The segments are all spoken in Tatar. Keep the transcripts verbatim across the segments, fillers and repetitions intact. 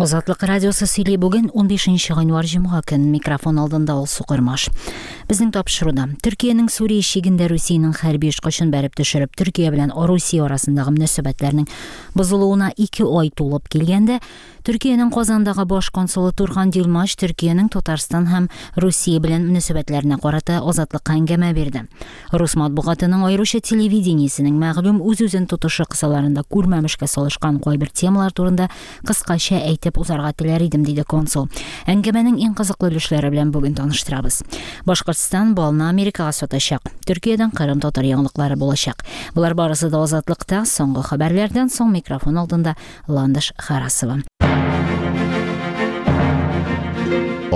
Азатлык радиосы сөйли. Бүген унбишенче гыйнвар, җомга көн. Микрофон алдында Алсу Кырмаш. Безнең тапшыруда Төркиянең Сүрия чигендә Русиянең хәрби очкычын бәреп төшереп, Төркия белән Русия арасындагы мөнәсәбәтләрнең бозылуына ике ай тулып килгәндә, Төркиянең Казандагы баш консулы Турхан Дилмач Төркиянең Татарстан һәм Русия белән мөнәсәбәтләренә карата Азатлыкка әңгәмә бирде. Рус матбугатының, аеруча телевидениесенең мәгълүм үз-үзен тотышы кысаларында күрмәмешкә салышкан кайбер темалар турында кыскача әйтеп узарга теләр идем, диде консул. Әңгәмәнең иң кызыклы өлешләре белән бүген таныштырабыз. Башкортстан балны Америкага сатачак. Төркиядән Кырым татар яңалыклары булачак. Болар барысы да Азатлыкта. Соңгы хәбәрләрдән соң микрофон алдында Ландыш Харасова.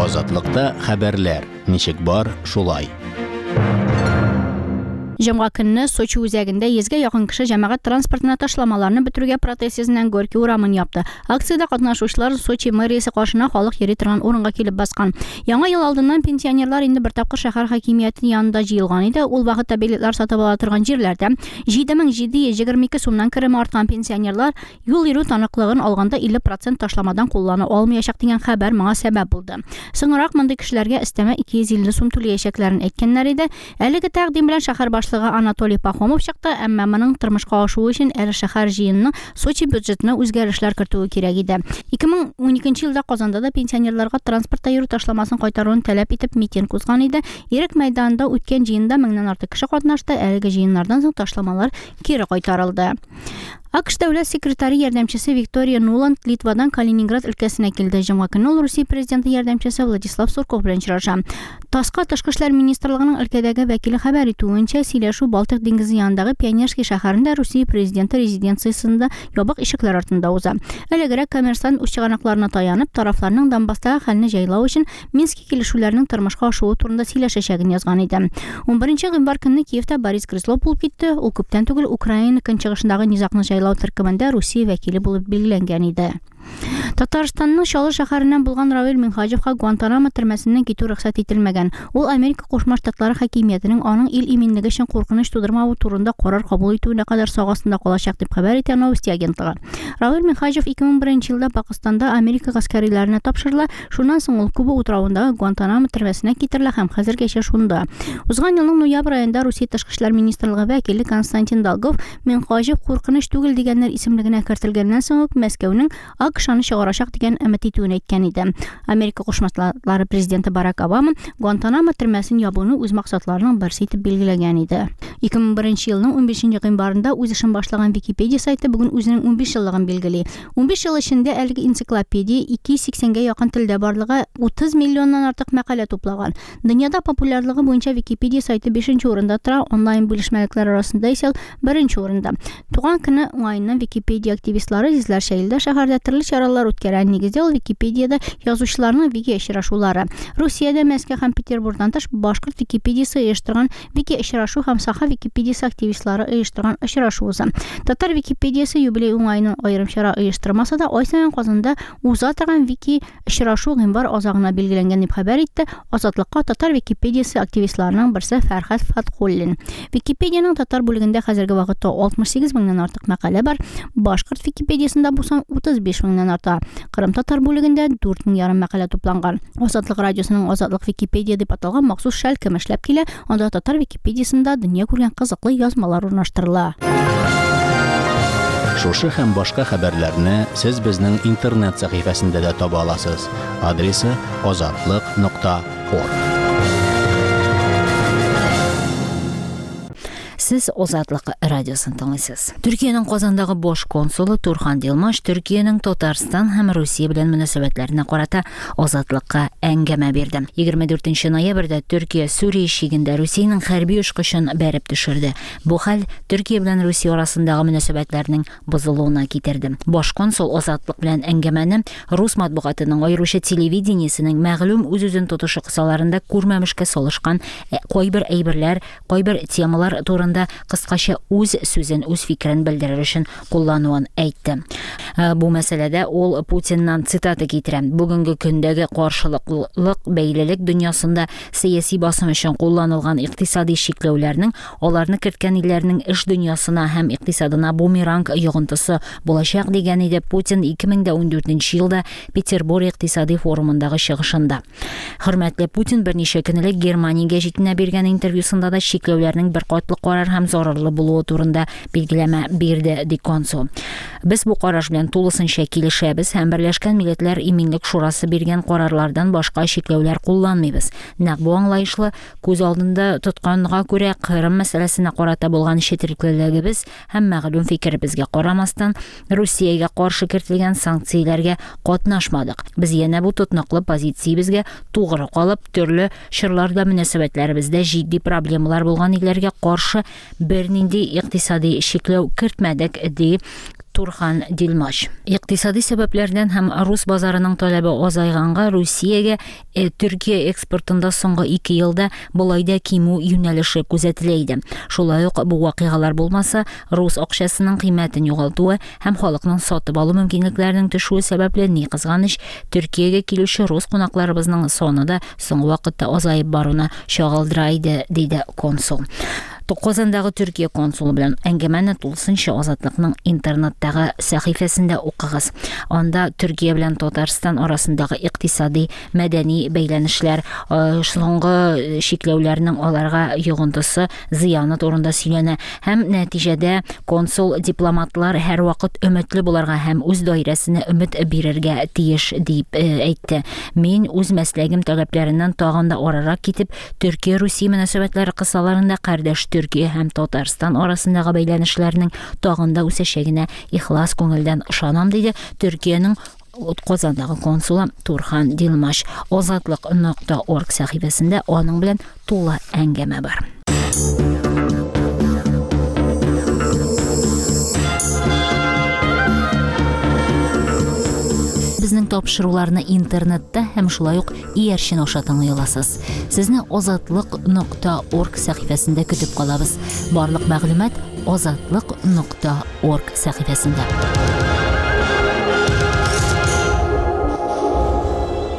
Азатлыкта хәбәрләр ничек бар, шулай. Җомга көнне Сочи үзәгендә йөзгә якын кеше җәмәгать транспортына ташламаларны бетерүгә протест йөзеннән Горький урамын япты. Акциядә катнашучылар Сочи мэриясе каршына халык йөри торган урынга килеп баскан. Яңа ел алдыннан пенсионерлар инде бер тапкыр шәһәр хакимияте янында җыелган иде. Ул вакытта билетлар сатып ала торган җирләрдә җиде мең җиде йөз егерме ике сумнан кереме арткан пенсионерлар юл йөрү таныклыгын алганда илле процент ташламадан куллана алмаячак дигән хәбәр моңа сәбәп булды. Соңрак мондый кешеләргә өстәмә ике йөз илле сум түләячәкләрен әйткәннәр иде. Әлеге тәкъдим белән шәһәр башлыгы Анатолий Пахомов чыкты, әмма моның тормышка ашуы өчен әле шәһәр җыенының Сочи бюджетына үзгәрешләр кертүе кирәк иде. ике мең уникенче елда Казанда да пенсионерларга транспортта йөрү ташламасын кайтаруын таләп итеп митинг узган иде. Ирек мәйданында үткән җыенда меңнән артык кеше катнашты. Әлеге җыеннардан соң ташламалар кире кайтарылды. АКШ дәүләт секретаре ярдәмчесе Виктория Нуланд Литвадан Калининград өлкәсенә килде. Җомга көнне ул Русия президенты ярдәмчесе Владислав Сурков белән очраша. ТАССка Тышкы эшләр министрлыгының өлкәдәге вәкиле хәбәр итүенчә, сөйләшү Балтык диңгезе янындагы Пионерский шәһәрендә Русия президенты резиденциясендә ябык ишекләр артында уза. Элегрәк Коммерсант үз чыганакларына таянып, тарафларның Донбасстагы хәлне җайлау өчен Мински килешүләренең тормышка ашуы турында сөйләшәчәген язган иде. Унберенче гыйнвар көнне Киевта Борис Грызлов булып китте. Ул күптән түгел Украина көнчыгышындагы низагны җайлау төркемендә Русия вәкиле булып билгеләнгән иде. Татарстанның Чаллы шәһәреннән булган Равил Минһаҗевка Гуантанамо төрмәсеннән китү рөхсәт ителмәгән. Ул Америка Кушма Штатлары хакимиятенең аның ил иминлеге өчен куркыныч тудырмавы турында карар кабул итүенә кадәр сак астында калачак дип хәбәр итә Новости агентлыгы. Равил Минһаҗев ике мең беренче елда Пакистанда Америка гаскәриләренә тапшырыла. Шуннан соң ул Куба утравындагы Гуантанамо төрмәсенә китерелә һәм хәзергәчә шунда. Узган елның ноябрь аенда Русия Тышкы эшләр министрлыгы вәкиле Константин Долгов Минһаҗев куркыныч түгел дигәннәр исемлегенә кертелгәннән соң ук Мәскәүнең АКШ-ны чыгарачак дигән өмет итүен әйткән иде. Америка Кушма Штатлары президенты Барак Обама Гуантанамо төрмәсен ябуны үз максатларының берсе итеп билгеләгән иде. ике мең беренче елның унбишенче гыйнварында үз эшен башлаган Википедия сайты бүген үзенең унбиш еллыгын билгели. Унбиш ел эчендә әлеге энциклопедия ике йөз сиксәнгә якын телдә барлыгы утыз миллионнан артык мәкалә туплаган. Дөньяда популярлыгы буенча Википедия сайты бишенче урында тора, онлайн бүлешмәлекләр арасында исә беренче урында. Туган көне уңаеннан Википедия активистлары йөзләрчә илдә шәһәрдә төрле чаралар үткәрә. Нигездә ул Википедияда язучыларның вики очрашулары. Русиядә Мәскәү һәм Петербургтан тыш башкорт Википедиясе оештырган вики очрашу һәм Саха Википедиясе активистлары оештырган очрашу уза. Татар Википедиясе юбилей уңаеннан аерым чара оештырмаса да, ай саен Казанда уза торган вики очрашу гыйнвар азагына билгеләнгән дип хәбәр итте Азатлыкка Татар Википедиясе активистларының берсе Фәрхәт Фатхуллин. Википедияның татар бүлегендә хәзерге вакытта алтмыш сигез меңнән артык мәкалә бар. Башкорт Википедиясендә бу сан утыз биш меңнән арта. Кырым татар бүлегендә дүрт мең ярым мәкалә тупланган. Азатлык радиосының Азатлык Википедия дип аталган махсус шәлкем эшләп килә. Анда татар Википедиясендә дөнья күргән кызыклы язмалар урнаштырыла. Шушы һәм башка хәбәрләрне сез безнең интернет сәхифәсендә дә таба аласыз. Адресы азатлык нокта орг. Сез Азатлык радиосын тыңлыйсыз. Төркиянең Казандагы баш консулы Турхан Дилмаш Төркиянең Татарстан һәм Русия белән мөнәсәбәтләренә карата Азатлыкка әңгәмә бирде. Егерме дүртенче ноябрьдә Төркия Сүрия чигендә Русиянең хәрби очкычын бәреп төшерде. Бу хәл Төркия белән Русия арасындагы мөнәсәбәтләрнең бозылуына китерде. Баш консул Азатлык белән әңгәмәне рус матбугатының, аеруча телевидениесенең мәгълүм үз-үзен тотышы кысаларында күрмәмешкә салышкан кайбер әйберләр, кайбер темалар турында вакытында кыскача үз сүзен, үз фикерен белдерер өчен куллануын әйтте. Бу мәсьәләдә ул Путиннан цитата китерә. Бүгенге көндәге каршылыклык бәйлелек дөньясында сәяси басым өчен кулланылган икътисади чикләүләрнең аларны керткән илләрнең эш дөньясына һәм икътисадына бумеранг йогынтысы булачак дигән иде Путин ике мең дә ундүртенче елда Петербург икътисади форумындагы чыгышында. Хөрмәтле Путин берничә көн элек Германия гәҗитенә биргән интервьюсында да чикләүләрнең бер катлы карар һәм зарарлы булуы турында билгеләмә бирде, ди консул. Без бу караш белән тулысынча килешәбез һәм Берләшкән Милләтләр Иминлек Шурасы биргән карарлардан башка чикләүләр кулланмыйбыз. Нәкъ бу аңлаешлы күз алдында тотканга күрә Кырым мәсьәләсенә карата булган четереклелегебез һәм мәгълүм фикеребезгә карамастан Русиягә каршы кертелгән санкцияләргә катнашмадык. Без янә бу тотнаклы позициябезгә тугры калып, төрле чорларда мөнәсәбәтләребездә җитди проблемалар булган илләргә каршы бернинди икътисади чикләү кертмәдек, ди Турхан Дилмаш. Икътисади сәбәпләрдән һәм рус базарының таләбе азайганга Русиягә Төркия экспортында соңгы ике елда болай да кимү юнәлеше күзәтелә иде. Шулай ук бу вакыйгалар булмаса, рус акчасының кыйммәтен югалтуы һәм халыкның сатып алу мөмкинлекләренең төшүе сәбәпле, ни кызганыч, Төркиягә килүче рус кунакларыбызның саны да соңгы вакытта азаеп баруны чагылдыра иде, диде консул. Казандагы Төркия консулы белән әңгәмәне тулысынча Азатлыкның интернеттагы сәхифәсендә укыгыз. Анда Төркия белән Татарстан арасындагы икътисади, мәдәни бәйләнешләр, соңгы чикләүләрнең аларга йогынтысы, зыяны турында сөйләнә һәм нәтиҗәдә консул дипломатлар һәрвакыт өметле буларга һәм үз даирәсенә өмет бирергә тиеш дип әйтте. Мин үз мәсләгем таләпләреннән тагын да арырак китеп, Төркия-Русия мөнәсәбәтләре кысаларында кардәш Төркия һәм Татарстан арасындагы бәйләнешләрнең тагын да үсәчәгенә ихлас күңелдән ышанам, диде Төркиянең Казандагы консулы Турхан Дилмаш. Азатлык нокта орг сәхифәсендә аның белән тулы әңгәмә бар. Безнең тапшыруларны интернетта һәм шулай ук иярчен аша тыңлый аласыз. Сезне азатлык нокта орг сәхифәсендә көтеп калабыз. Барлык мәгълүмат азатлык нокта орг сәхифәсендә.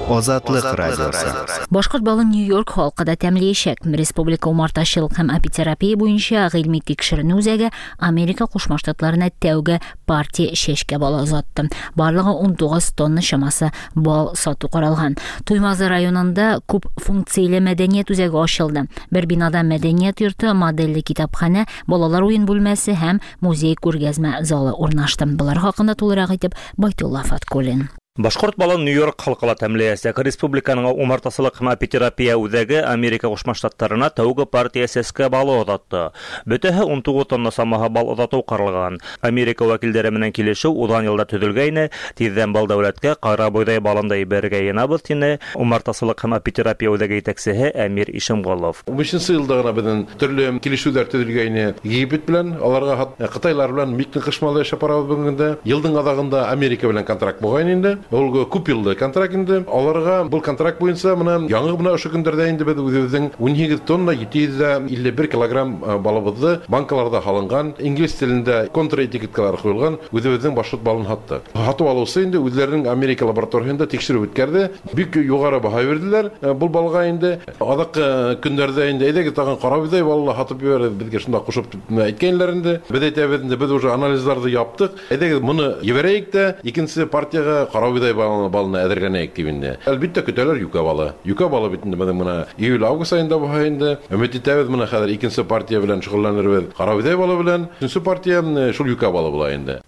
Азатлык радиосы. Башкорт балын Нью-Йорк халкы да тәмләячәк. Республика умартачылык һәм апитерапия буенча гыйльми тикшеренү үзәге Америка Кушма Штатларына тәүге партия чәчкә балы озатты. Барлыгы ун тугыз тонна чамасы бал сату каралган. Туймазы районында күп функцияле мәдәният үзәге ачылды. Бер бинада мәдәният йорты, модельле китапханә, балалар уен бүлмәсе һәм музей күргәзмә залы урнашты. Болар хакында тулырак итеп Байтулла Фаткуллин. Башкорт балын Нью-Йорк халкы ла тәмләячәк. Республиканың умартасылык һәм апитерапия үзәге Америка Кушма Штатларына тәүге партия сәскә балы озатты. Бөтәһе ун тугыз тонна самаһы бал озату каралган. Америка вәкилләре менән килешү узган елда төзелгәйне, тиздән бал дәүләткә кара бойдай балын да ибәргә йыйынабыз, тине умартасылык һәм апитерапия үзәге җитәкчесе Әмир Ишемголов. Унбишенче елда гына безнең төрле килешүләр төзелгәйне Египет белән, аларга Кытайлар белән бик нык кышмалы яшәп барабыз бүгенге. Елдың азагында Америка белән контракт булган инде. Ул күп еллы контракт инде. Аларга бу контракт буенча менә яңы гына ошо көндәрдә инде без үзебезнең ун һигез тонна ете йөз илле бер килограмм балыбызны банкаларда алынган, инглиз телендә контраэтикеткалар куелган үзебезнең башкорт балын һатты. Һатып алучы инде үзләренең Америка лабораториясендә тикшерү үткәрде. Бик югары баһа бирделәр бу балга инде. Азак көндәрдә инде әйдәгез тагын кара бойдай балны һатып җибәрде, безгә шунда кушып әйткәннәр инде. Без әйтәбез инде, без уже анализларны яптык. Әйдәгез моны җибәрәйек тә, икенче партиягә кара бойдай балны әзерләнәйек дип инде. Әлбәттә көтәләр юкә балы. Юкә балы бит инде безнең менә июль-август аенда була инде. Өмет итәбез менә хәзер икенче партия белән шөгыльләнербез. Кара бойдай балы белән. Өченче партия шул юкә балы була инде.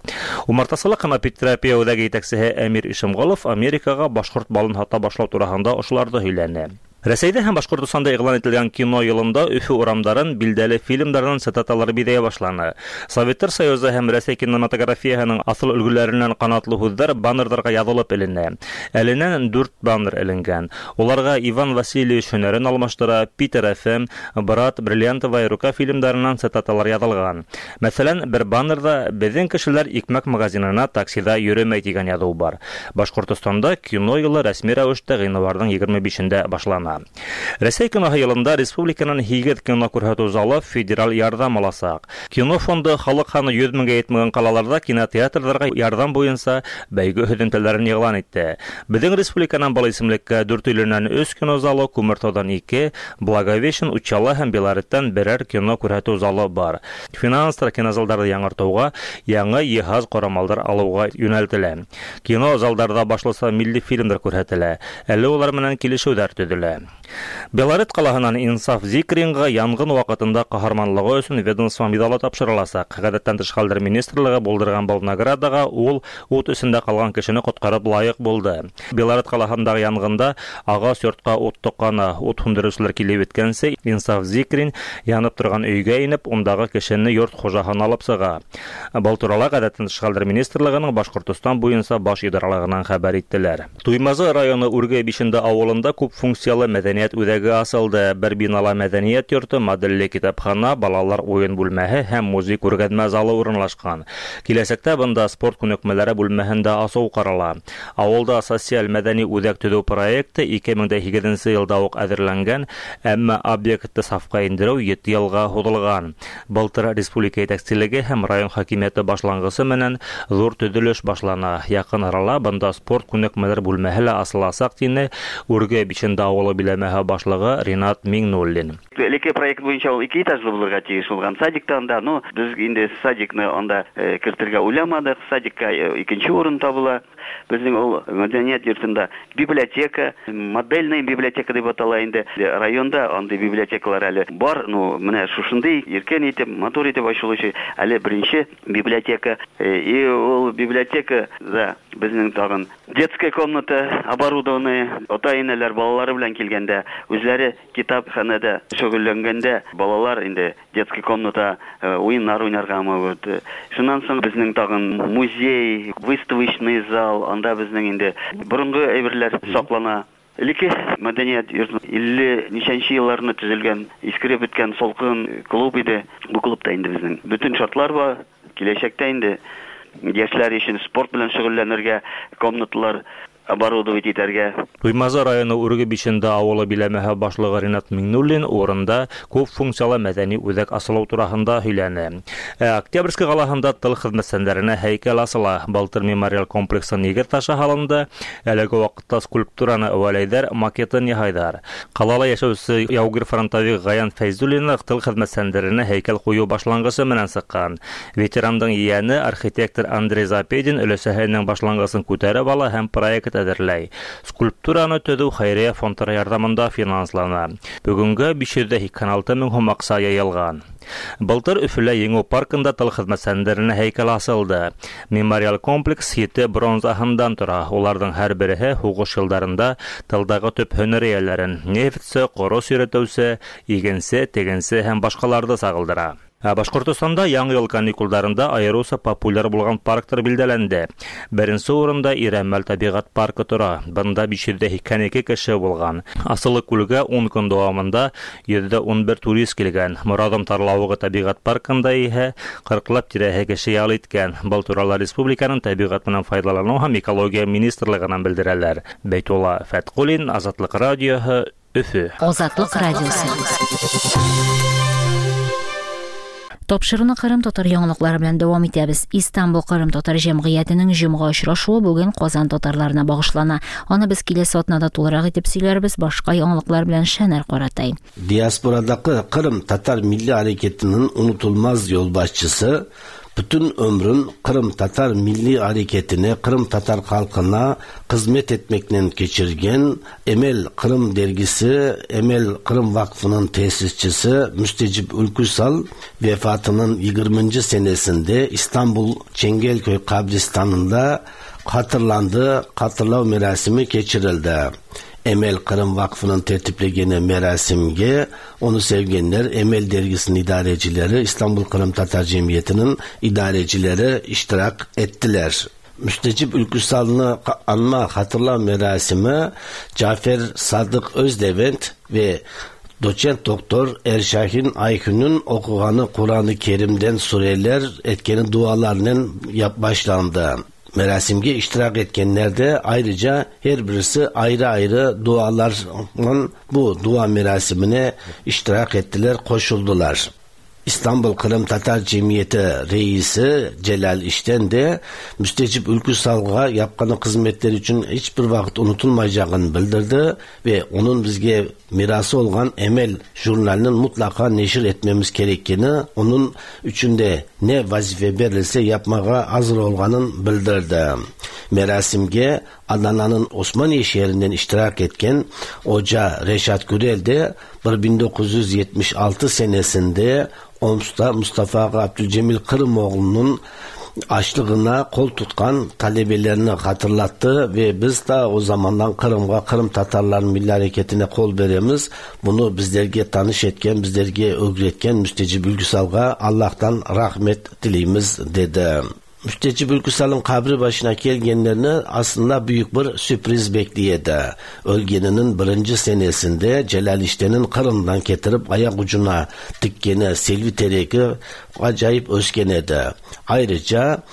Умартасылык һәм апитерапия үзәге җитәкчесе Әмир Ишемголов Америкага башкорт балын һата башлау турында ошыларны һөйләне. Рәсәйдә һәм Башкортостанда игълан ителгән кино елында Өфө урамдарын билдәле фильмдардан цитаталар биҙәй башланы. Советтар Союзы һәм Рәсәй кинематографияһының асыл өлгөләреннән канатлы һүҙҙәр баннерҙарға яҙылып эленә. Әленән дүрт баннер эленгән. Уларға Иван Васильевич һөнәрен алмаштыра, Питер эф эм, Брат, Бриллиантовая рука фильмдарынан цитаталар яҙылған. Мәҫәлән, бер баннерҙа «Беҙҙең кешеләр икмәк магазинына таксиҙа йөрөмәй» тигән яҙыу бар. Башҡортостанда кино йылы рәсми рәүештә ғинуарҙың егерме бишендә башлана. планлана. Рәсәй киноһы йылында республиканың һигеҙ кино күрһәтеү залы федераль ярҙам аласаҡ. Кино фонды халыҡ һаны йөҙ меңгә етмәгән ҡалаларҙа кинотеатрҙарға ярҙам буйынса бәйге һөҙөмтәләрен иғлан итте. Беҙҙең республиканан был исемлеккә Дүртөйлөнән өс кино залы, Күмертауҙан ике, Благовещен, Учалы һәм Белореттән берәр кино күрһәтеү залы бар. Финанстар кинозалдарҙы яңыртыуға, яңы йыһаз ҡорамалдар алыуға йүнәлтелә. Кино залдарҙа башлыса милли фильмдар күрһәтелә. Әле улар менән килешеүҙәр төҙөлә. Белорет ҡалаһынан Инсаф Зикринға янғын ваҡытында ҡаһарманлығы өсөн ведомство миҙалы тапшырыласаҡ. Ғәҙәттән тыш хәлдәр министрлығы булдырған был наградаға ул ут эсендә ҡалған кешене ҡотҡарып лайыҡ булды. Белорет ҡалаһындағы янғында ағас йортҡа ут тоҡҡаны, ут һүндереүселәр килеп еткәнсе Инсаф Зикрин янып торған өйгә инеп, ундағы кешене йорт хужаһына алып сыға. Был турала Ғәҙәттән тыш хәлдәр министрлығының Башҡортостан буйынса баш идаралығынан хәбәр иттеләр. Туймазы районы Үрге Бишенде ауылында күп функциялы мәҙәниәт үҙәге асылды. Бер бинала мәҙәниәт йорто, моделле китапхана, балалар уйын бүлмәһе һәм музей күргәҙмә залы урынлашҡан. Киләсәктә бында спорт күнекмәләре бүлмәһен дә асыу ҡарала. Ауылда социаль мәҙәни үҙәк төҙөү проекты ике мең дә һигеҙенсе йылда уҡ әҙерләнгән, әммә объектты сафҡа индереү ете йылға һуҙылған. Былтыр республика етәкселеге һәм район хакимиәте башланғысы менән ҙур төҙөлөш башлана. Яҡын арала бында спорт күнекмәләр бүлмәһе лә асыласаҡ, тине Үрге Бишенде ауылы биләмәһе башлығы Ринат Миңнуллин. Элекке проект буйынса ул ике этажлы булырға тейеш булған садиктан да, но беҙ инде садикны анда кертергә уйламадыҡ, садикка икенсе урын табыла. Беҙҙең ул мәҙәниәт йортонда библиотека, модельная библиотека тип атала инде. Районда андай библиотекалар әле бар, но менә шушындай иркен итеп, матур итеп ачылучы әле беренсе библиотека. И ул библиотека да беҙҙең тағын детская комната оборудованная, ата-инәләр балалары белән килгәндә, үзләре китапханада шөгыльләнгәндә балалар инде детский комната уйыннар уйнарга могут. Шуннан соң безнең тагын музей, выставочный зал, анда безнең инде борынгы әйберләр саклана. Элекке мәдәният йорты илле ничәнче елларында төзелгән, искереп беткән салкын клуб иде. Бу клубта инде безнең бөтен шартлар бар. Киләчәктә инде яшьләр өчен спорт белән шөгыльләнергә комнаталар оборудовать итәргә. Туймазы районы Үрге Бишенде ауылы биләмәһе башлығы Ринат Миңнуллин урында күп функциялы мәҙәни үҙәк асылыу тураһында һөйләне. Ә Октябрьский ҡалаһында тыл хеҙмәтсәндәренә һәйкәл асыла. Былтыр мемориал комплексы нигеҙ ташы һалынды. Әлеге ваҡытта скульптураны әүәләйҙәр, макетын яһайҙар. Ҡалала йәшәүсе яугир фронтовик Ғаян Фәйзуллин тыл хеҙмәтсәндәренә һәйкәл ҡуйыу башланғысы менән сыҡҡан. Ветерандың ейәне архитектор Андрей Запедин өләсәһенең башланғысын күтәреп ала һәм проект әҙерләй. Скульптураны төҙөү хәйриә фондтары ярҙамында финанслана. Бөгөнгә биш йөҙ ҙә һикһән алты мең һум аҡса йыйылған. Былтыр Өфөлә Еңеү паркында тыл хеҙмәтсәндәренә һәйкәл асылды. Мемориал комплекс ете бронзаһындан тора. Уларҙың һәр береһе һуғыш йылдарында тылдағы төп һөнәр эйәләрен нефтсе, ҡорос йөрөтөүсе, игенсе, тегенсе һәм башҡаларҙы сағылдыра. Башҡортостанда яңы йыл каникулдарында айырыуса популяр булған парктар билдәләнде. Беренсе урында Ирәмәл тәбиғәт паркы тора. Бында биш йөҙ ҙә һикһән ике кеше булған. Асылы күлгә ун көн дауамында йөҙ ҙә ун бер турист килгән. Морадым тарлауығы тәбиғәт паркында иһә ҡырҡлап тирәһе кеше ял иткән. Был турала республиканың тәбиғәт менән файҙаланыу һәм экология министрлығынан белдерәләр. Бәйтулла Фәтҡуллин, Азатлыҡ радиоһы, Өфө. Азатлыҡ радиосы. Тапшыруны Ҡырым татар яңалыҡлары белән дәвам итәбез. Истанбул Ҡырым татар җәмгыятенең җомга очрашуы бүген Казан татарларына багышлана. Аны без киләсе атнада тулырак итеп сөйләрбез. Башка яңалыҡлар белән Шәнәр Ҡаратай. Diasporadaki Kırım Tatar Milli Hareketi'nin unutulmaz yolbaşçısı, bütün ömrün Kırım Tatar Milli Hareketi'ne, Kırım Tatar halkına hizmet etmekle geçirgen Emel Kırım dergisi, Emel Kırım Vakfı'nın tesisçisi Müstecip Ülküsal vefatının yirminci senesinde İstanbul Çengelköy kabristanında hatırlandı, hatırlav merasimi geçirildi. Emel Kırım Vakfı'nın tertiplegeni merasimge onu sevgenler, Emel dergisinin idarecileri, İstanbul Kırım Tatar Cemiyeti'nin idarecileri iştirak ettiler. Müstecip Ülküsal'ını anma hatırla merasimi Cafer Sadık Özdevent ve Doçent Doktor Erşahin Aykün'ün okuğanı Kur'an-ı Kerim'den sureler etkeni dualarla yap başlandı. Merasimge iştirak etkenler de ayrıca her birisi ayrı ayrı dualarla bu dua merasimine iştirak ettiler, koşuldular. İstanbul Kırım Tatar Cemiyeti Reisi Celal İşten de Müstecip Ülküsal'ga yapqanı hizmetleri için hiçbir vakit unutulmayacağını bildirdi ve onun bizge mirası olgan Emel jurnalinin mutlaka neşir etmemiz gerektiğini, onun içinde ne vazife verilse yapmaya hazır olganın bildirdi. Merasimge Adana'nın Osmaniye şehrinden iştirak etken Hoca Reşat Gürel de bin dokuz yüz yetmiş altı senesinde Oms'ta Mustafa Abdülcemil Kırımoğlu'nun açlığına kol tutkan talebelerini hatırlattı ve biz de o zamandan Kırım'a, Kırım Tatarların milli hareketine kol veremiz. Bunu bizlerge tanış etken, bizlerge öğretken Müstecip Ülküsal'a Allah'tan rahmet dileyimiz dedi. Müstecip Ülküsal'ın kabri başına gelgenlerini aslında büyük bir sürpriz bekliyordu. Ölgeninin birinci senesinde Celal İşten'in Kırım'dan getirip ayak ucuna dikkeni Selvi Tereki acayip özgenedi. Ayrıca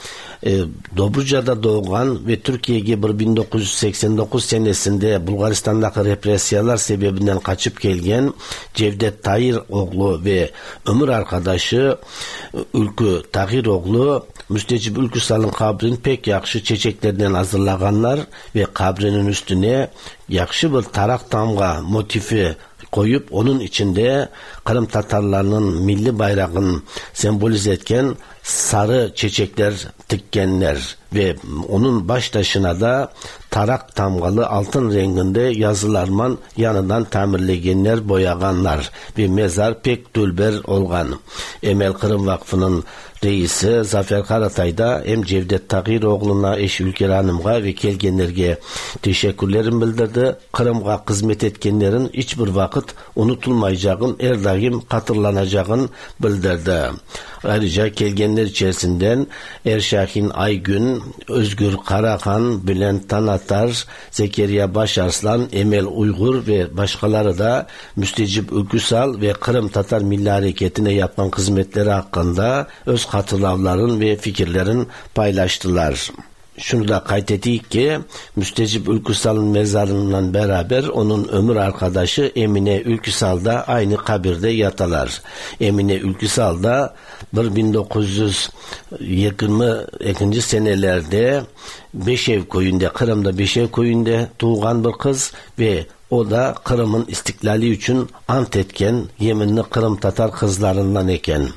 e, Dobruca'da doğan ve Türkiye'ye bin dokuz yüz seksen dokuz senesinde Bulgaristan'daki represiyalar sebebinden kaçıp gelgen Cevdet Tahiroğlu ve ömür arkadaşı Ülkü Tahiroğlu Müstecip Ülküsal'ın kabrini pek yaxşı çiçeklerden hazırlaganlar ve kabrinin üstüne yaxşı bir tarak tamga motifi koyup onun içinde Kırım Tatarlarının milli bayrağını sembolize etken sarı çiçekler dikkenler ve onun baş taşına da tarak tamgalı altın renginde yazılarman yanından tamirlegenler, boyaganlar ve mezar pek dülber olgan. Emel Kırım Vakfı'nın reisi Zafer Karatay da hem Cevdet Tahiroğlu'na, eşi Ülker Hanım'a ve kelgenlerge teşekkürlerini bildirdi. Kırım'a hizmet etkenlerin hiçbir vakit unutulmayacağın, her daim hatırlanacağını bildirdi. Ayrıca kelgenler içerisinden Erşahin Aygün, Özgür Karahan, Bülent Tanatar, Zekeriya Başarslan, Emel Uygur ve başkaları da Müstecip Ülküsal ve Kırım Tatar Milli Hareketi'ne yapılan hizmetleri hakkında öz hatıraların ve fikirlerin paylaştılar. Şunu da kaydettik ki Müstecip Ülküsal'ın mezarından beraber onun ömür arkadaşı Emine Ülküsal da aynı kabirde yatalar. Emine Ülküsal da bin dokuz yüz yirmi ikinci senelerde Beşev köyünde, Kırım'da Beşev köyünde doğan bir kız ve o da Kırım'ın istiklali için ant etken yeminli Kırım Tatar kızlarından eken.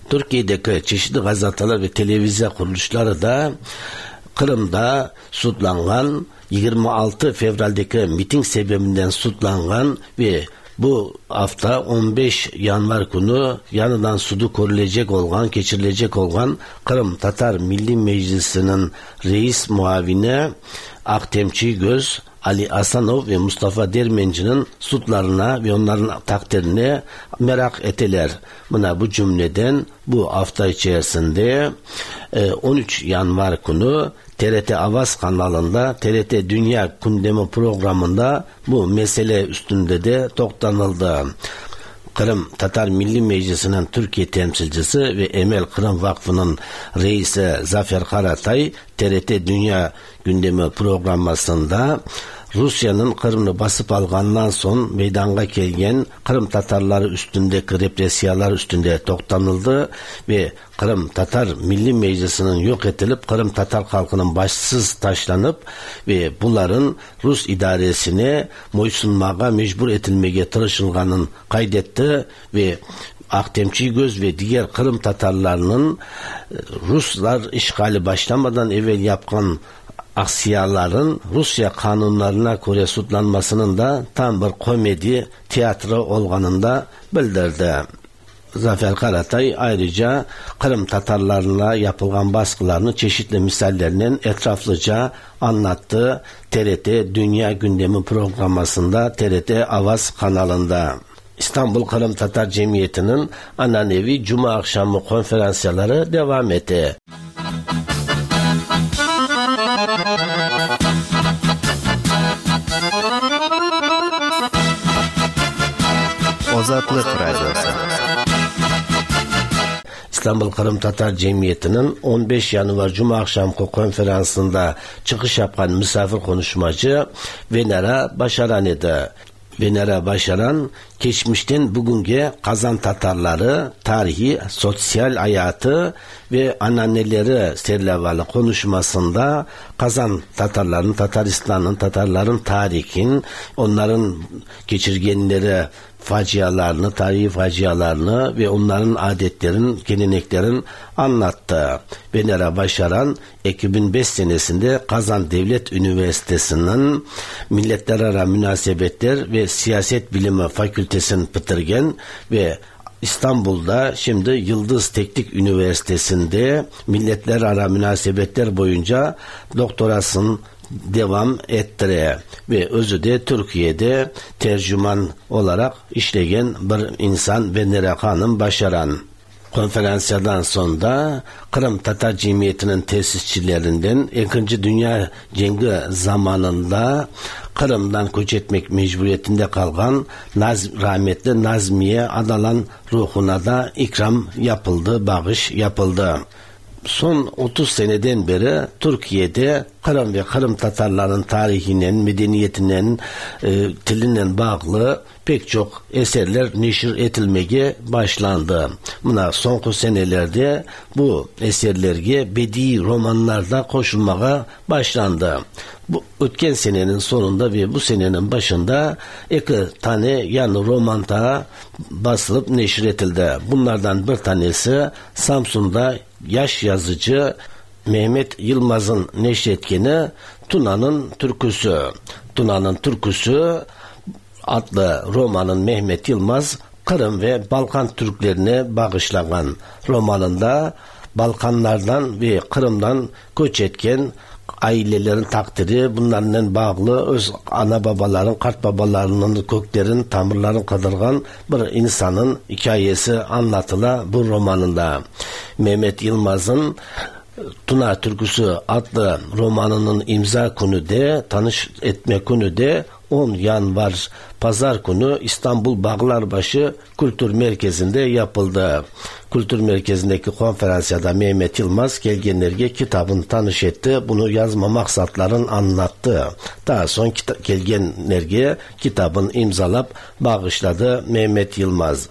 Türkiye'deki çeşitli gazeteler ve televizyon kuruluşları da Kırım'da sudlangan yirmi altı Fevral'deki miting sebebinden sudlangan ve bu hafta on beş Yanvar günü yanından sudu görülecek olan, geçirilecek olan Kırım Tatar Milli Meclisi'nin reis muavini Ahtem Çiygöz, Ali Asanov ve Mustafa Dermenci'nin sudlarına ve onların takdirine merak eteler. Buna bu cümleden bu hafta içerisinde on üç Yanvar günü T R T Avaz kanalında T R T Dünya Gündemi programında bu mesele üstünde de toktanıldı. Kırım Tatar Milli Meclisi'nin Türkiye temsilcisi ve Emel Kırım Vakfı'nın reisi Zafer Karatay T R T Dünya Gündemi programmasında Rusya'nın Kırım'ı basıp algandan son meydana gelgen Kırım Tatarları üstündeki represiyalar üstünde toktanıldı ve Kırım Tatar Milli Meclisi'nin yok edilip Kırım Tatar halkının başsız taşlanıp ve bunların Rus idaresine moysunmağa mecbur edilmeye tırışılganın kaydetti ve Ahtem Çiygöz ve diğer Kırım Tatarlarının Ruslar işgali başlamadan evvel yapkan aksiyaların Rusya kanunlarına göre sudlanmasının da tam bir komedi tiyatro olganını bildirdi. Zafer Karatay ayrıca Kırım Tatarlarına yapılan baskılarını çeşitli misallerle etraflıca anlattı. T R T Dünya Gündemi programmasında T R T Avaz kanalında. İstanbul Kırım Tatar Cemiyeti'nin ananevi Cuma akşamı konferansları devam etti. Azatlık Radyosu. İstanbul Kırım Tatar Cemiyeti'nin on beş Yanvar Cuma akşamki konferansında çıkış yapan misafir konuşmacı Venera Başaran idi. Venera Başaran, geçmişten bugünkü Kazan Tatarları, tarihi, sosyal hayatı ve ananeleri serlevalı konuşmasında Kazan Tatarlarının, Tataristan'ın, Tatarların tarihin, onların geçirgenleri, facialarını, tarihi facialarını ve onların adetlerin, geleneklerin anlattı. Venera Başaran iki bin beş senesinde Kazan Devlet Üniversitesi'nin Milletlerara Münasebetler ve Siyaset Bilimi Fakültesini bitirgen ve İstanbul'da şimdi Yıldız Teknik Üniversitesi'nde Milletlerara Münasebetler boyunca doktorasını devam ettire ve özü de Türkiye'de tercüman olarak işleyen bir insan Venera Hanım Başaran. Konferansyadan sonra Kırım Tatar Cemiyeti'nin tesisçilerinden İkinci Dünya Cengi zamanında Kırım'dan göç etmek mecburiyetinde kalan Naz, rahmetli Nazmiye Adalan ruhuna da ikram yapıldı, bağış yapıldı. Son otuz seneden beri Türkiye'de Kırım ve Kırım Tatarların tarihinin, medeniyetinin, e, dilinden bağlı pek çok eserler neşir etilmeye başlandı. Buna son senelerde bu eserlerge bedi romanlarda koşulmaya başlandı. Bu ötken senenin sonunda ve bu senenin başında iki tane yani roman da basılıp neşir etildi. Bunlardan bir tanesi Samsun'da yaş yazıcı Mehmet Yılmaz'ın neşretkeni Tuna'nın Türküsü. Tuna'nın Türküsü adlı romanın Mehmet Yılmaz Kırım ve Balkan Türklerine bağışlanan romanında Balkanlardan ve Kırım'dan göç etken ailelerin takdiri, bunlarla bağlı öz ana babaların, kart babalarının köklerin, tamırların kadırgan bir insanın hikayesi anlatıla bu romanında. Mehmet Yılmaz'ın Tuna Türküsü adlı romanının imza günü de, tanış etme günü de on Yanvar Pazar günü İstanbul Bağlarbaşı Kültür Merkezi'nde yapıldı. Kültür Merkezi'ndeki konferansiyada Mehmet Yılmaz gelgenlerge kitabını tanış etti. Bunu yazma maksatlarını anlattı. Daha son kita- gelgenlerge kitabını imzalap bağışladı Mehmet Yılmaz.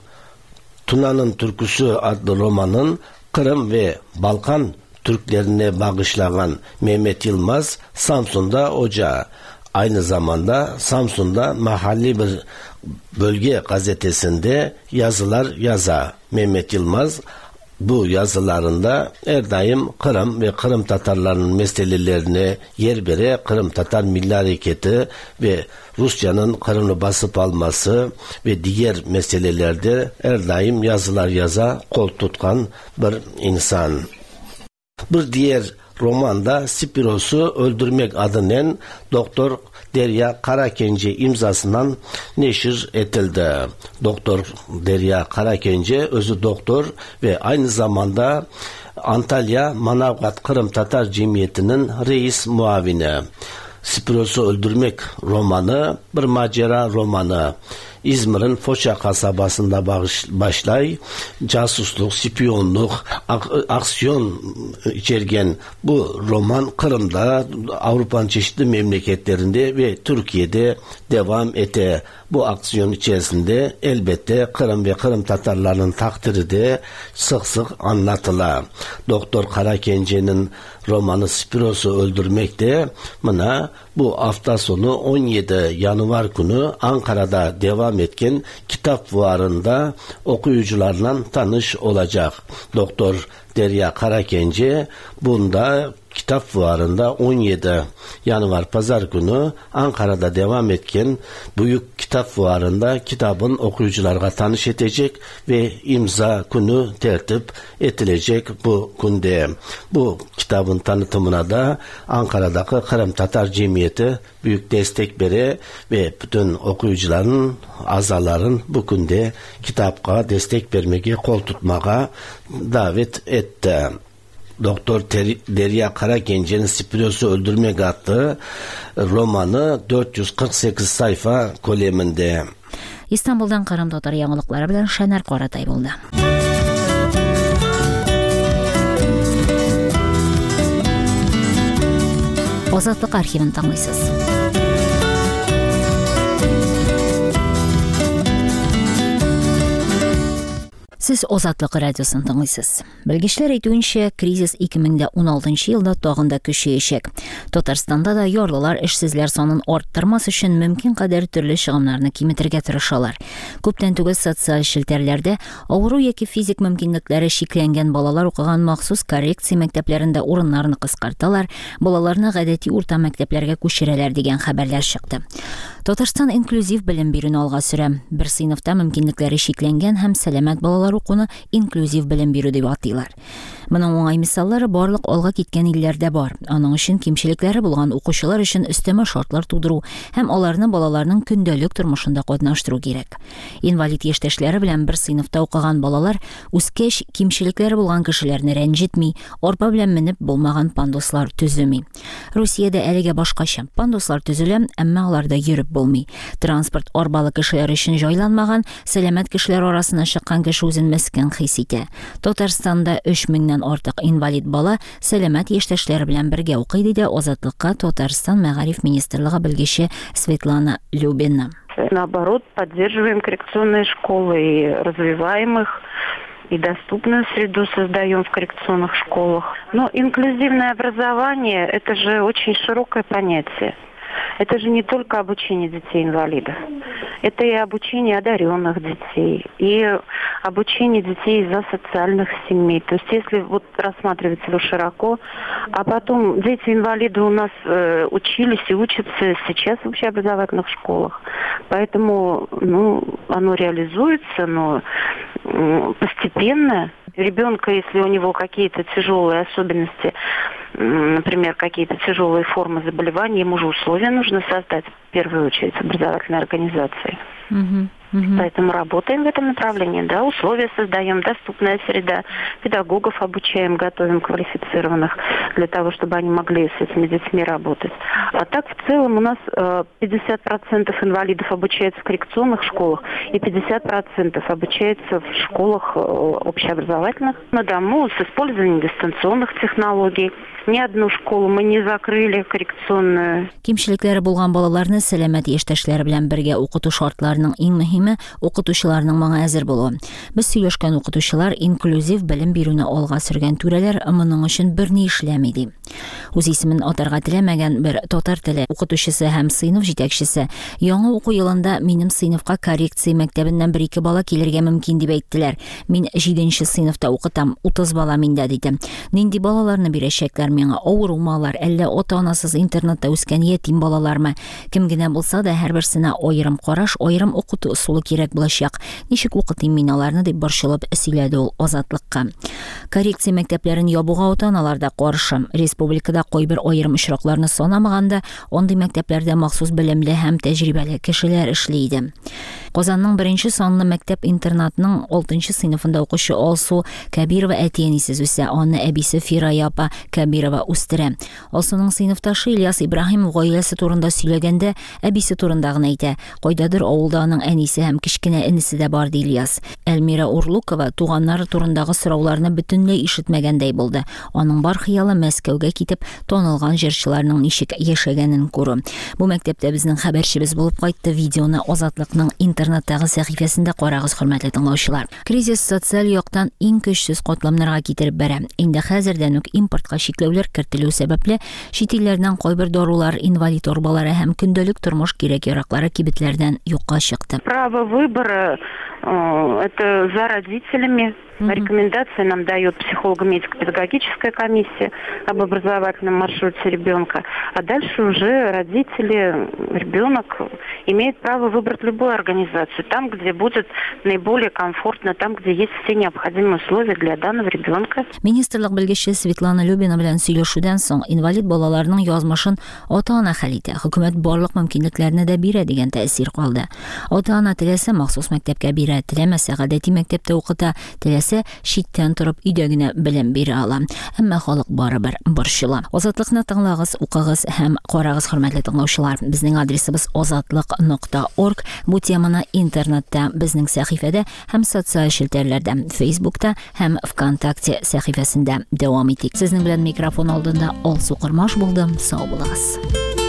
Tuna'nın Türküsü adlı romanın Kırım ve Balkan Türklerine bağışlayan Mehmet Yılmaz Samsun'da hoca. Aynı zamanda Samsun'da mahalli bir bölge gazetesinde yazılar yaza. Mehmet Yılmaz bu yazılarında her daim Kırım ve Kırım Tatarlarının meselelerine yer vere Kırım Tatar Milli Hareketi ve Rusya'nın Kırım'ı basıp alması ve diğer meselelerde her daim yazılar yaza kol tutkan bir insan. Bir diğer romanda Spiros'u Öldürmek adının Doktor Derya Karakence imzasından neşir edildi. Doktor Derya Karakence özü doktor ve aynı zamanda Antalya Manavgat Kırım Tatar Cemiyeti'nin reis muavini. Spiros'u Öldürmek romanı bir macera romanı. İzmir'in Foça kasabasında başlay casusluk, spiyonluk, ak- aksiyon içergen bu roman Kırım'da, Avrupa'nın çeşitli memleketlerinde ve Türkiye'de devam ete. Bu aksiyon içerisinde elbette Kırım ve Kırım Tatarlarının takdiri de sık sık anlatıla. Doktor Karakence'nin romanı Spiros'u Öldürmek de buna bu hafta sonu on yedi Yanvar günü Ankara'da devam etken kitap fuarında okuyucularla tanış olacak. Doktor Derya Karakence bunda kitap fuarında on yedi Yanvar Pazar günü Ankara'da devam etken büyük kitap fuarında kitabın okuyuculara tanış edecek ve imza günü tertip edilecek bu günde. Bu kitabın tanıtımına da Ankara'daki Kırım Tatar Cemiyeti büyük destek vere ve bütün okuyucuların, azaların bu günde kitapka destek vermeye, kol tutmaya davet etti. Doktor Derya Karagence'nin Spiros'u Öldürmek adlı romanı dört yüz kırk sekiz sayfa kaleminde. İstanbul'dan Kırım Tatar яңалыклары белән Шанар Каратай булды. Азатлык архивын тыңлыйсыз. Сез Азатлык радиосын тыңлыйсыз. Белгечләр әйтүенчә, кризис ике мең дә уналтынчы елда тагын да көчәячәк. Татарстанда да ярлылар эшсезләр санын арттырмас өчен мөмкин кадәр төрле чыгымнарны киметергә тырышалар. Күптән түгел социаль челтәрләрдә авыру яки физик мөмкинлекләре чикләнгән балалар укыган махсус коррекция мәктәпләрендә урыннарны кыскарталар, балаларны гадәти урта мәктәпләргә күчерәләр дигән хәбәрләр чыкты. Татарстан инклюзив белем бирүне алга сөрә. Бер сыйныфта мөмкинлекләре чикләнгән һәм сәламәт балалар укуны инклюзив белем бирү дип атыйлар. Моның уңай мисаллары барлык алга киткән илләрдә бар. Аның өчен кимчелекләре булган укучылар өчен өстәмә шартлар тудыру һәм аларны балаларның көндәлек тормышында катнаштыру кирәк. Инвалид яшьтәшләре белән бер сыйныфта укыган балалар үскәч кимчелекләре булган кешеләрне рәнҗетми, арба белән менеп булмаган пандуслар төземи. Русиядә әлегә башкача. Пандуслар төзелә, әмма аларда йөреп булмый. Транспорт арбалы кешеләр өчен җайланмаган, сәламәт кешеләр арасына чыккан кеше үзен мескен хис итә. Татарстанда өч меңнән артык инвалид бала сәламәт яшьтәшләре белән бергә укый, диде Азатлыкка Татарстан Мәгариф министрлыгы белгече Светлана Любина. Наоборот, поддерживаем коррекционные школы и развиваем их, и доступную среду создаем в коррекционных школах. Но инклюзивное образование – это же очень широкое понятие. Это же не только обучение детей-инвалидов. Это и обучение одаренных детей, и обучение детей из асоциальных семей. То есть если вот рассматривать его широко, а потом дети-инвалиды у нас э, учились и учатся сейчас в общеобразовательных школах. Поэтому, ну, оно реализуется, но э, постепенно. Ребенка, если у него какие-то тяжелые особенности, например, какие-то тяжелые формы заболеваний, ему же условия нужно создать, в первую очередь, образовательной организации. Угу, угу. Поэтому работаем в этом направлении, да, условия создаем, доступная среда, педагогов обучаем, готовим квалифицированных для того, чтобы они могли с этими детьми работать. А так в целом у нас пятьдесят процентов инвалидов обучаются в коррекционных школах и пятьдесят процентов обучаются в школах общеобразовательных на дому с использованием дистанционных технологий. Ни одну школу мы не закрыли коррекционную. Кимчелекләре булган балаларны сәламәт яшьтәшләре белән бергә укыту шартларының иң мөһиме укытучыларның моңа әзер булуы. Без сөйләшкән укытучылар инклюзив белем бирүне алга сөргән түрәләр моның өчен берни эшләми ди. Үз исемен атарга теләмәгән бер татар теле укытучысы һәм сыйныф җитәкчесе яңа уку елында минем сыйныфка коррекция мәктәбеннән бер-ике бала килергә мөмкин дип әйттеләр. Мин җиденче сыйныфта укытам, утыз бала миндә диде. Нинди балаларны бирәчәкләр миңа? Авырумалар, әллә ата-анасыз интернатта үскән ятим балалармы? Кем генә булса да һәрберсенә аерым караш, аерым укыту ысулы кирәк булачак. Ничек укытыйм мин аларны дип борчылып сөйләде ул Азатлыкка. Коррекция мәктәпләрен ябуга ата-аналар да каршы. Республикада кайбер аерым очракларны санамаганда, андый мәктәпләрдә махсус белемле һәм тәҗрибәле кешеләр эшли иде. Казанның беренче санлы мәктәп-интернатының алтынчы сыйныфында укучы Алсу Кәбирова әти-әнисез үсә, аны әбисе Фирая апа Кәбирова үстерә. Алсуның сыйныфташы Ильяс Ибраһимов гаиләсе турында сөйләгәндә әбисе турында гына әйтә. Кайдадыр авылда аның әнисе һәм кечкенә энесе дә бар, ди Ильяс. Эльмира Урлукова туганнары турындагы сорауларны бөтенләй ишетмәгәндәй булды. Аның бар хыялы Мәскәүгә китеп танылган җырчыларның ничек яшәгәнен күрү. Бу мәктәптә безнең хәбәрчебез булып кайтты. Видеоны Азатлыкның интернеттагы сәхифәсендә карагыз, хөрмәтле тыңлаучылар. Кризис социаль яктан иң көчсез катламнарга китереп бәрә. Инде хәзердән үк импортка чикләүләр кертелү сәбәпле чит илләрдән кайбер дарулар, инвалид арбалары һәм көндәлек тормыш кирәк-яраклары кибетләрдән юкка чыкты. Право выбора это за родителями. Mm-hmm. Рекомендации нам дает психолого-медико-педагогическая комиссия об образовательном маршруте ребенка. А дальше уже родители, ребенок имеет право выбрать любую организацию. Там, где будет наиболее комфортно, там, где есть все необходимые условия для данного ребенка. Министрлык белгече Светлана Любина белән сөйләшүдән соң инвалид балаларның язмышын ата-ана хәл итә. Хөкүмәт барлык мөмкинлекләрне дә бирә дигән тәэсир калды. Ата-ана теләсә махсус мәктәпкә бирә, теләмәсә гадәти мәктәптә укыта, теләсә исә читтән торып өйдә генә белем бирә ала. Әмма халык барыбер борчыла. Азатлыкны тыңлагыз, укыгыз һәм карагыз, хөрмәтле тыңлаучылар. Безнең адресыбыз азатлык нокта орг. Бу теманы интернетта, безнең сәхифәдә һәм социаль челтәрләрдә, Фейсбукта һәм ВКонтакте сәхифәсендә дәвам итик. Сезнең белән микрофон алдында Алсу Кормаш булды. Сау булыгыз.